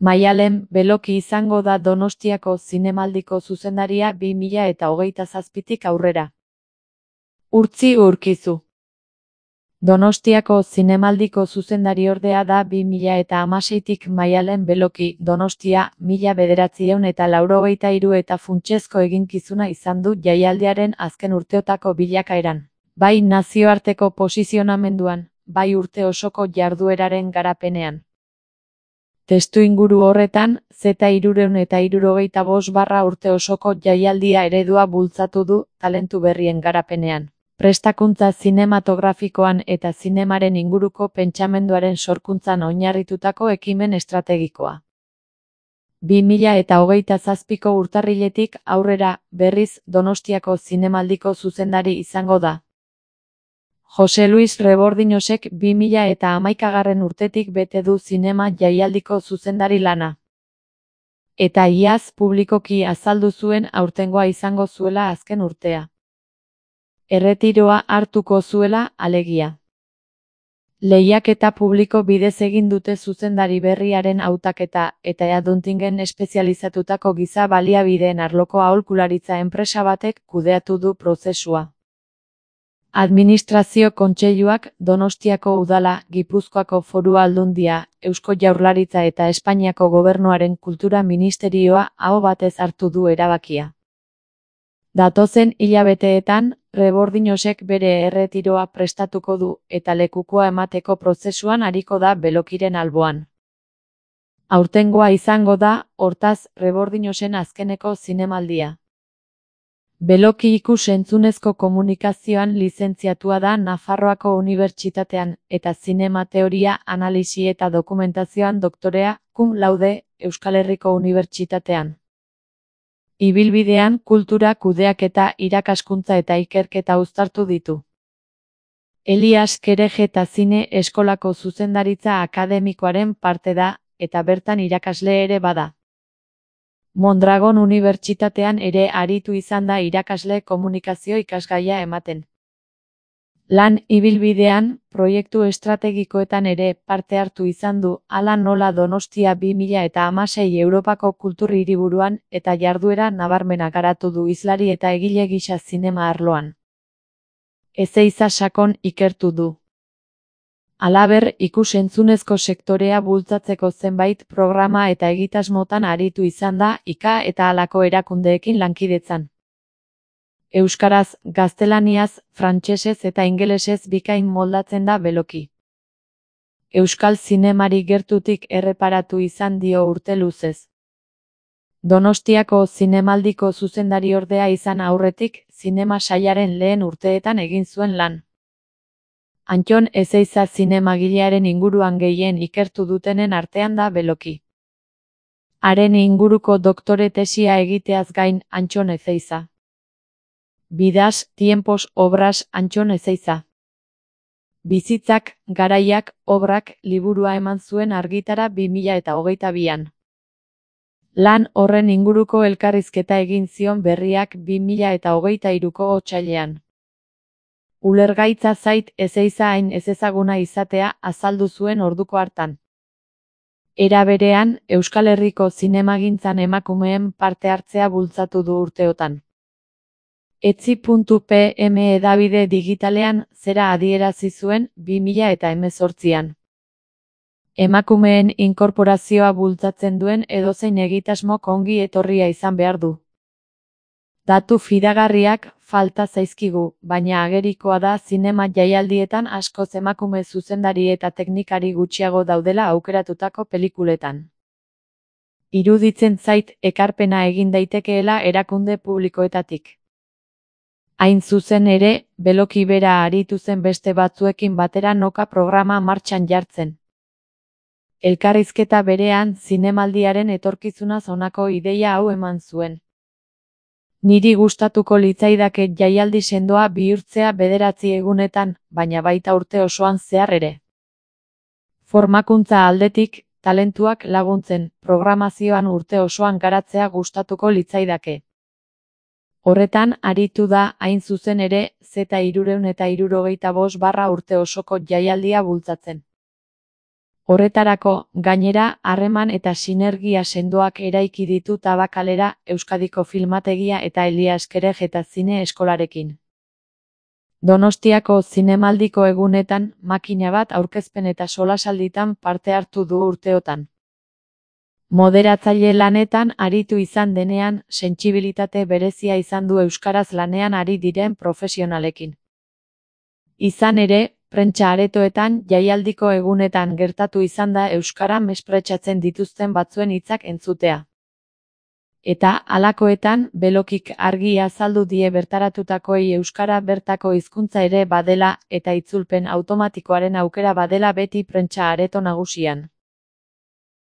Maialen Beloki izango da Donostiako Zinemaldiko zuzendaria 2027tik aurrera. Urtzi Urkizu. Donostiako Zinemaldiko zuzendariordea da 2016tik Maialen Beloki. Donostia 1983 eta funtsezko eginkizuna izan du jaialdiaren azken urteotako bilakaeran, bai nazioarteko posizionamenduan, bai urte osoko jardueraren garapenean. Testuinguru horretan, Z365 urte osoko jaialdia eredua bultzatu du talentu berrien garapenean, prestakuntza zinematografikoan eta zinemaren inguruko pentsamenduaren sorkuntzan oinarritutako ekimen estrategikoa. 2027ko urtarriletik aurrera, berriz, Donostiako Zinemaldiko zuzendari izango da. Jose Luis Rebordiñosek 2011 urtetik bete du zinema jaialdiko zuzendari lana. Eta iaz publikoki azaldu zuen aurtengoa izango zuela azken urtea. Erretiroa hartuko zuela, alegia. Lehiaketa publiko bidez egin dute zuzendari berriaren hautaketa, eta Eaduntingen espezializatutako giza baliabideen arloko aholkularitza enpresa batek kudeatu du prozesua. Administrazio Kontseiluak, Donostiako Udala, Gipuzkoako Foru Aldundia, Eusko Jaurlaritza eta Espainiako Gobernuaren Kultura Ministerioa aho batez hartu du erabakia. Datozen hilabeteetan, Rebordiñosek bere erretiroa prestatuko du eta lekukoa emateko prozesuan ariko da Belokiren alboan. Aurtengoa izango da, hortaz, Rebordiñosen azkeneko zinemaldia. Beloki ikus-entzunezko komunikazioan lizentziatua da Nafarroako Unibertsitatean eta zinema teoria, analisi eta dokumentazioan doktorea, cum laude, Euskal Herriko Unibertsitatean. Ibilbidean kultura kudeaketa, irakaskuntza eta ikerketa uztartu ditu. Elias Kerejeta Zine Eskolako zuzendaritza akademikoaren parte da, eta bertan irakasle ere bada. Mondragon Unibertsitatean ere aritu izan da irakasle komunikazio ikasgaia ematen. Lan ibilbidean, proiektu estrategikoetan ere parte hartu izan du, hala nola Donostia 2016 Europako kultur hiriburuan eta jarduera nabarmena garatu du hizlari eta egile gisa zinema arloan. Ezeiza sakon ikertu du. Halaber, ikus-entzunezko sektorea bultzatzeko zenbait programa eta egitasmotan aritu izan da, IKA eta halako erakundeekin lankidetzan. Euskaraz, gaztelaniaz, frantsesez eta ingelesez bikain moldatzen da Beloki. Euskal zinemari gertutik erreparatu izan dio urte luzez. Donostiako Zinemaldiko zuzendariordea izan aurretik, zinema sailaren lehen urteetan egin zuen lan. Antton Ezeiza zinemagilearen inguruan gehien ikertu dutenen artean da Beloki. Haren inguruko doktore tesia egiteaz gain, Antton Ezeiza. Vidas, tiempos, obras, Antton Ezeiza. Bizitzak, garaiak, obrak liburua eman zuen argitara 2022an. Lan horren inguruko elkarrizketa egin zion Berriak 2023ko otsailean. Ulergaitza zait Ezeiza hain ezezaguna izatea, azaldu zuen orduko hartan. Era berean, Euskal Herriko zinemagintzan emakumeen parte hartzea bultzatu du urteotan. Etzi.pm hedabide digitalean zera adierazi zuen 2018an. Emakumeen inkorporazioa bultzatzen duen edozein egitasmok ongi etorria izan behar du. Datu fidagarriak falta zaizkigu, baina agerikoa da zinema jaialdietan askoz emakume zuzendari eta teknikari gutxiago daudela aukeratutako pelikuletan. Iruditzen zait ekarpena egin daitekeela erakunde publikoetatik. Hain zuzen ere, Beloki bera aritu zen beste batzuekin batera noka programa martxan jartzen. Elkarrizketa berean zinemaldiaren etorkizunaz honako ideia hau eman zuen. Niri gustatuko litzaidake jaialdi sendoa bihurtzea 9 egunetan, baina baita urte osoan zehar ere. Formakuntza aldetik, talentuak laguntzen, programazioan urte osoan garatzea gustatuko litzaidake. Horretan aritu da, hain zuzen ere, Z365 urte osoko jaialdia bultzatzen. Horretarako, gainera, harreman eta sinergia sendoak eraiki ditu Tabakalera, Euskadiko Filmategia eta Elias Kerej eta Zine Eskolarekin. Donostiako zinemaldiko egunetan, makina bat aurkezpen eta solasalditan parte hartu du urteotan. Moderatzaile lanetan aritu izan denean, sentsibilitate berezia izan du euskaraz lanean ari diren profesionalekin. Izan ere, prentsa aretoetan jaialdiko egunetan gertatu izan da euskara mespretxatzen dituzten batzuen hitzak entzutea. Eta, halakoetan, Belokik argi azaldu die bertaratutakoei euskara bertako hizkuntza ere badela eta itzulpen automatikoaren aukera badela beti prentsa areto nagusian.